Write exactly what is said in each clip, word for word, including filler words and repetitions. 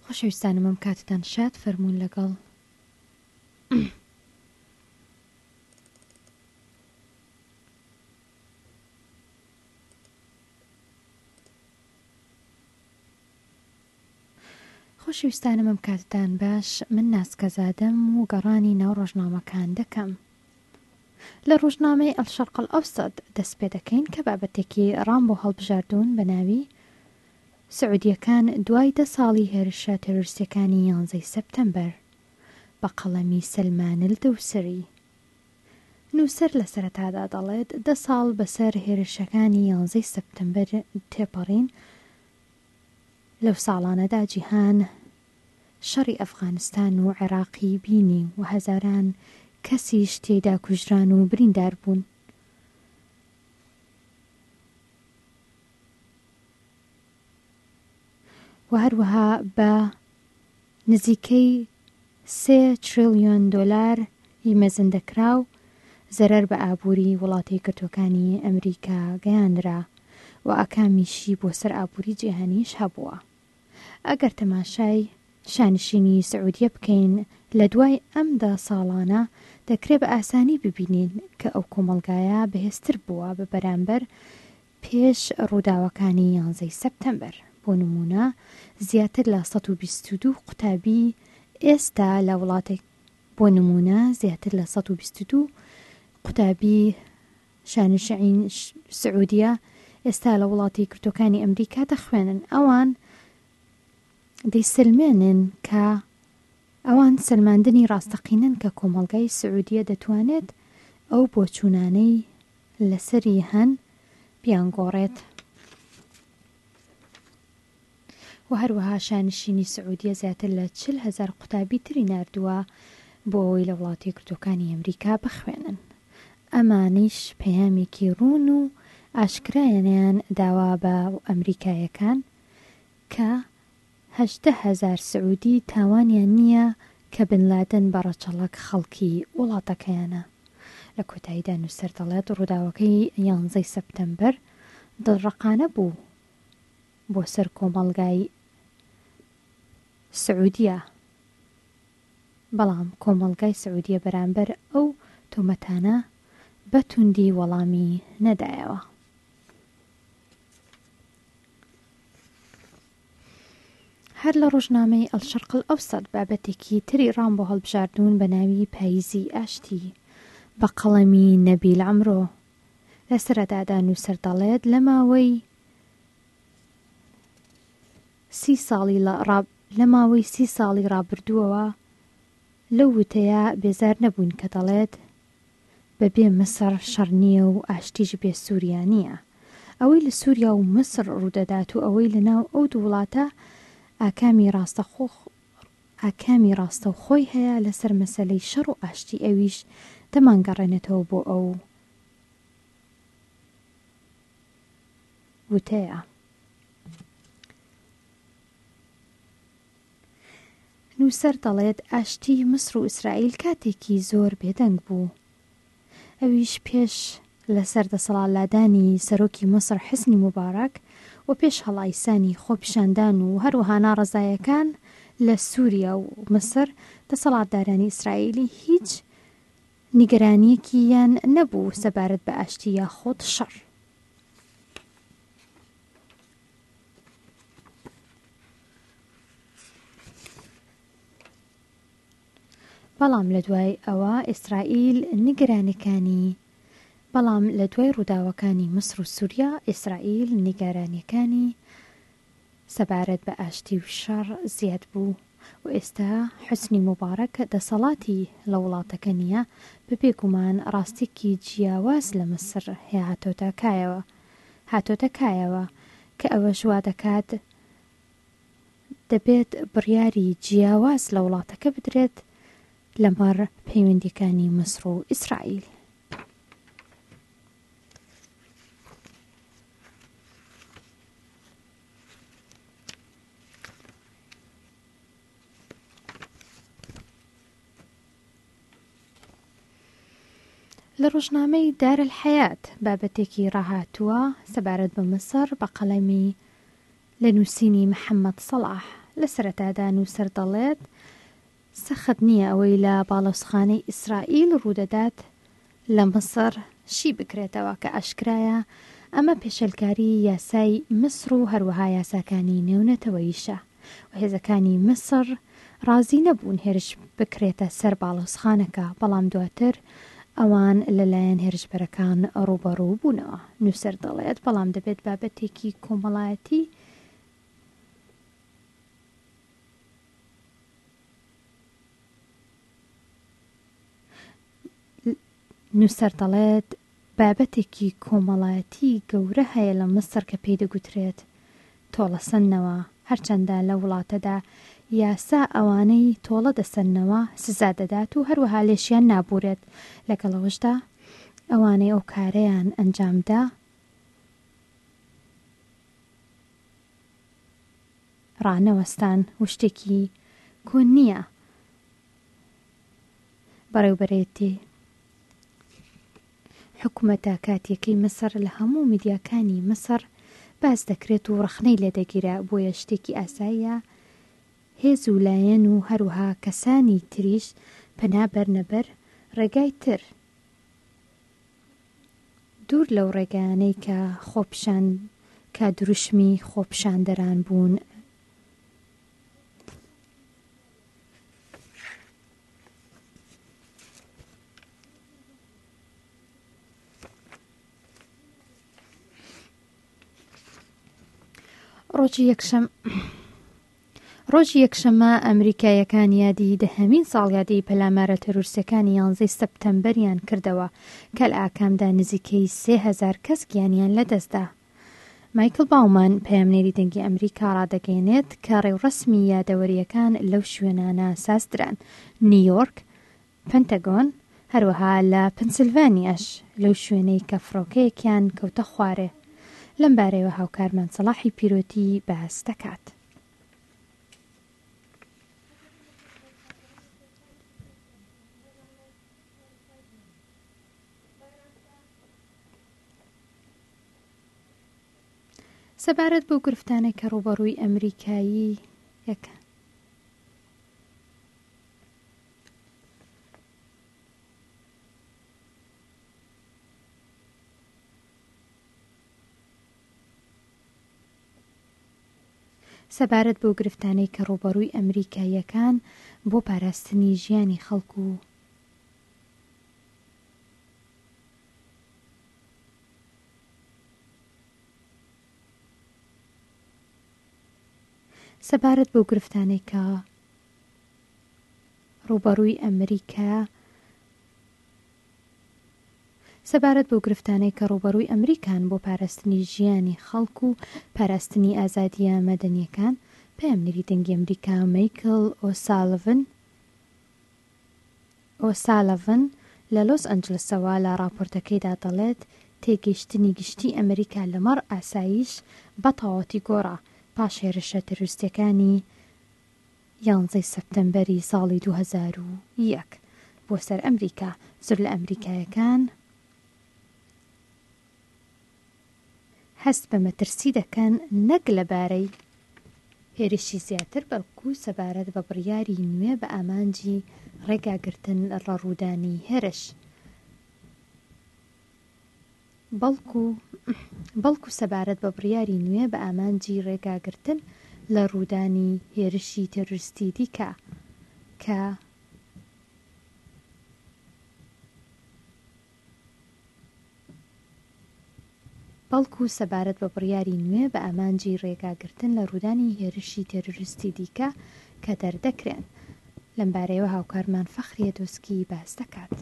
خۆشەویستانم ئەم کاتتان شاد فەرموون لەگەڵ خۆشەویستانم ئەم کاتتان باش من ناسکەزادەم و گەڕانی ناو ڕۆژنامەکان دەکەم. لە ڕۆژنامەی الشرق الاوسط دەست پێ دەکەین کە بابەتێکی ڕام بۆ هەڵبژاردوون بە ناوی سعودیەکان دوای دە ساڵی هێرشە تێرۆریستیەکانی یانزەی سەپتەمبەر بە قەڵەمی سەلمان الدوسری. نووسەر لە سەرەتادا دەڵێت دە ساڵ بەسەر هێرشەکانی یانزەی سەپتەمبەر تێپەڕین، لەو ساڵانەدا جیهان شەڕی ئەفغانستان و عێراقی بینی و هەزاران کەسیش تێیدا کوژران و بریندار بوون. و هەروەها بە نزیکەی سێ تریلیۆن دۆلار ی مەزندەکراو زەرەر بە ئابووری وڵاتە یەکگرتووەکانی ئەمریکا گەیاندرا و ئاکامیشی بۆ سەر ئابووری جیهانیش هەبووە. ئەگەر تەماشای شانشینی سعودیە بکەین لە دوای ئەم دە ساڵانە دەکرێ بە ئاسانی ببینین کە ئەو کۆمەڵگایە بەهێزتر بووە بە بەرامبەر پێش ڕووداوەکانی یانزەی سەپتەمبەر. بۆ نموونە زیاتر لە سەد و بیست و دوو قوتابی ئێستا لە وڵاتێک بۆ نموونە زیاتر لە سەد و بیست و دوو قوتابی شانشین سعودیە ئێستا لە وڵاتی یەکگرتووەکانی ئەمریکا دەخوێنن. ئەوان دەیسەلمێنن کە ئەوان سەلماندنی ڕاستەقینەن کە کۆمەڵگای سعودیە دەتوانێت ئەو بۆچوونانەی لەسەری هەن بیانگۆڕێت. و هەروەها شانشینی سعودیە زیاتر لە چل هەزار قوتابی تری ناردووە بۆ ئەوەی لە وڵاتی یەکگرتووەکانی ئەمریکا بخوێنن. ئەمانیش پەیامێکی ڕوون و ئاشکرایانیان داوا بە ئەمریکایەکان کە هەژدە هەزار سعودی تاوانیان نییە کە بن لادن بە ڕەچەڵەک خەڵکی وڵاتەکەیانە. لە کۆتاییدا نووسەر دەڵێت ڕووداوەکەی یانزەی سەپتەمبەر دڵڕەقانە بوو بۆ سەر کۆمەڵگای سعودیە، بەڵام کۆمەڵگای سعودیە بەرامبەر ئەو تۆمەتانە بە توندی وەڵامی نەدایەوە. هەر لە ڕۆژنامەی الشرق الاوسط بابەتێکی تری ڕام بۆ هەڵبژاردوون بە ناوی پاییزی ئاشتی بە قەڵەمی نەبیل عەمرۆ. لە سەرەتادا نووسەر دەڵێت لە ماوەی سی ساڵی لە ماوەی سی ساڵی ڕابردووەوە لەو وتەیە بێزار نەبووین کە دەڵێت بەبێ میسر شەڕ نییە و ئاشتیش بێ سووریا نییە. ئەوەی لە سووریا و میسر ڕوودەدات و ئەوەی لەناو ئەو دوو وڵاتە ئاکامی ڕاستەخۆ ئاکامی ڕاستەوخۆی هەیە لەسەر مەسەلەی شەڕ و ئاشتی، ئەویش دەمانگەڕێنێتەوە بۆ ئەو وتەیە. نووسەر دەڵێت ئاشتی میسر و ئیسرائیل کاتێکی زۆر بێدەنگ بوو، ئەویش پێش لەسەر دەسەڵاتلادانی سەرۆکی میسر حسنی موبارەک و پێش هەڵایسانی خۆپیشاندان و هەروەها ناڕەزایەکان لە سووریا و میسر دەسەڵاتدارانی ئیسرائیلی هیچ نیگەرانیەکیان نەبوو سەبارەت بە ئاشتی یاخود شەڕ. بەڵام لە دوای ئەوە ئیسرائیل نیگەرانیەکانی بەڵام لە دوای ڕووداوەکانی میسر و سووریا ئیسرائیل نیگەرانیەکانی سەبارەت بە ئاشتی و شەڕ زیاد بوو و ئێستا حوسنی موبارەک دەسەڵاتی لە وڵاتەکە نییە، بەبێ گومان ڕاستێکی جیاواز لە میسر هاتۆتە کایەوە هاتۆتە کایەوە کە ئەوەش وا دەکات دەبێت بڕیاری جیاواز لە وڵاتەکە بدرێت لەمەڕ پەیوەندیەکانی میسر و ئیسرائیل. لە ڕۆژنامەی دار الحیات بابەتێکی ڕاهاتووە سەبارەت بە میسر بە قەڵەمی لە نووسینی محەممەد سەڵاح. لە سەرەتادا نووسەر دەڵێت سەخت نییە ئەوەی لە باڵۆزخانەی ئیسرائیل ڕوودەدات لە میسر شی بکرێتەوە کە ئاشکرایە ئەمە پێشێلکاری یاسای میسر و هەروەها یاساکانی نێونەتەوەیشە و هێزەکانی میسر ڕازی نەبوون هێرش بکرێتە سەر باڵۆزخانەکە، بەڵام دواتر ئەوان لەلایەن هێرشبەرەکان ڕووبەڕوو بوونەوە. نووسەر دەڵێت بەڵام دەبێت بابەتێکی کۆمەڵایەتی نووسەر دەڵێت بابەتێکی کۆمەڵایەتی گەورە هەیە لە میسر کە پێی دەگوترێت تۆڵەسەندنەوە، هەرچەندە لە وڵاتەدا یاسا ئەوانەی تۆڵە دەسەننەوە سزا دەدات و هەروەها لێشیان نابورێت، لەگەڵەوەشدا ئەوانەی ئەو کارەیان ئەنجامدا ڕانەوەستان و شتێکی کۆن نییە. بەڕێوبەرێتی حکوومەتە کاتیەکەی میسر لە هەموو میدیاکانی میسر باس دەکرێت و ڕەخنەی لێدەگیرە، بۆیە شتێکی ئاساییە هێز و لایەن و هەروەها کەسانی تریش پەنا بەرنەبەر ڕێگای تر دوور لەو ڕێگایانەی کە خۆپشان کە دروشمی خۆپشاندەران بوون. ڕۆژی یەکشەم ڕۆژی یەکشەممە ئەمریکاییەکان یادی دەهەمین ساڵیادی پەلامارە تەرۆریستەکانی یانزەی سەپتەمبەریان کردەوە کە لە ئاکامدا نزیکەی سێ هەزار کەس گیانیان لەدەستدا. مایکل باومان پەیامنێری دەنگی ئەمریکا ڕادەگەیەنێت کە ڕێوڕەسمی یادەوەریەکان لەو شوێنانە سازدران: نیویۆرک، پنتاگۆن، هەروەها لە پنسیلڤانیاش لەو شوێنەی کە فڕۆکەیەکیان کەوتە خوارێ. لەم بارەیەوە هاوکارمان سەڵاحی پیرۆتی باس دەکات. سەبارەت بەو گرفتانەی کە ڕووبەڕووی ئەمریکایی یەکە سەبارەت بەو گرفتانەی کە ڕووبەڕووی ئەمریکاییەکان بۆ پاراستنی ژیانی خەڵک و سەبارەت بەو گرفتانەی کە ڕووبەڕووی ئەمریکا سەبارەت بەو گرفتانەی کە ڕووبەڕووی ئەمریکان بۆ پاراستنی ژیانی خەڵک و پاراستنی ئازادیە مەدەنیەکان، پەیامنێری دەنگی ئەمریکا مایکل ئۆسالڤن ئۆسالڤن لە لۆس ئەنجلسەوە لە ڕاپۆرتەکەیدا دەڵێت تێگەیشتنی گشتی ئەمریکا لەمەڕ ئاسایش بە تەواوەتی گۆڕا پاش هێرشە تەرۆریستیەکانی یانزەی سەپتەمبەری ساڵی دوو هەزار و یەک بۆ سەر ئەمریکا. زۆر لە ئەمریکایەکان هەست بە مەترسی دەکەن نەک لەبارەی هێرشی زیاتر، بەڵکو سەبارەت بە بڕیاری نوێ بە ئامانجی ڕێگاگرتن لە ڕوودانی هێرش. بەڵکو بەڵکو سەبارەت بە بڕیاری نوێ بە ئامانجی ڕێگاگرتن لە ڕوودانی هێرشی تەرۆریستی دیکە کە بەڵکو سەبارەت بە بڕیاری نوێ بە ئامانجی ڕێگاگرتن لە ڕوودانی هێرشی تەرۆریستی دیکە کە دەردەکرێن. لەمبارەیەوە هاوکارمان فەخریە دۆسکی باس دەکات.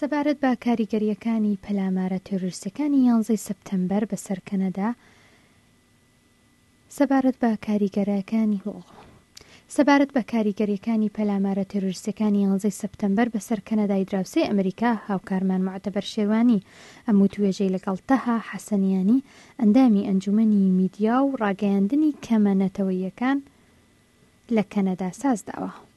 سەبارەت بە کاریگەریەکانی پەلامارە تێرۆریستەکانی یانزەی سەپتەمبەر بەسەر کەنەدا سەبارەت بە کاریگەرەکانی سەبارەت بە کاریگەریەکانی پەلامارە تێرۆریستەکانی یانزەی سەپتەمبەر بەسەر کەنەدای دراوسێی ئەمریکا، هاوکارمان معتەبەر شێروانی ئەم وتوێژەی لەگەڵ تەها حەسەنیانی ئەندامی ئەنجومەنی میدیا و ڕاگەیاندنی کەمە نەتەوەیەکان لە کەنەدا سازداوە.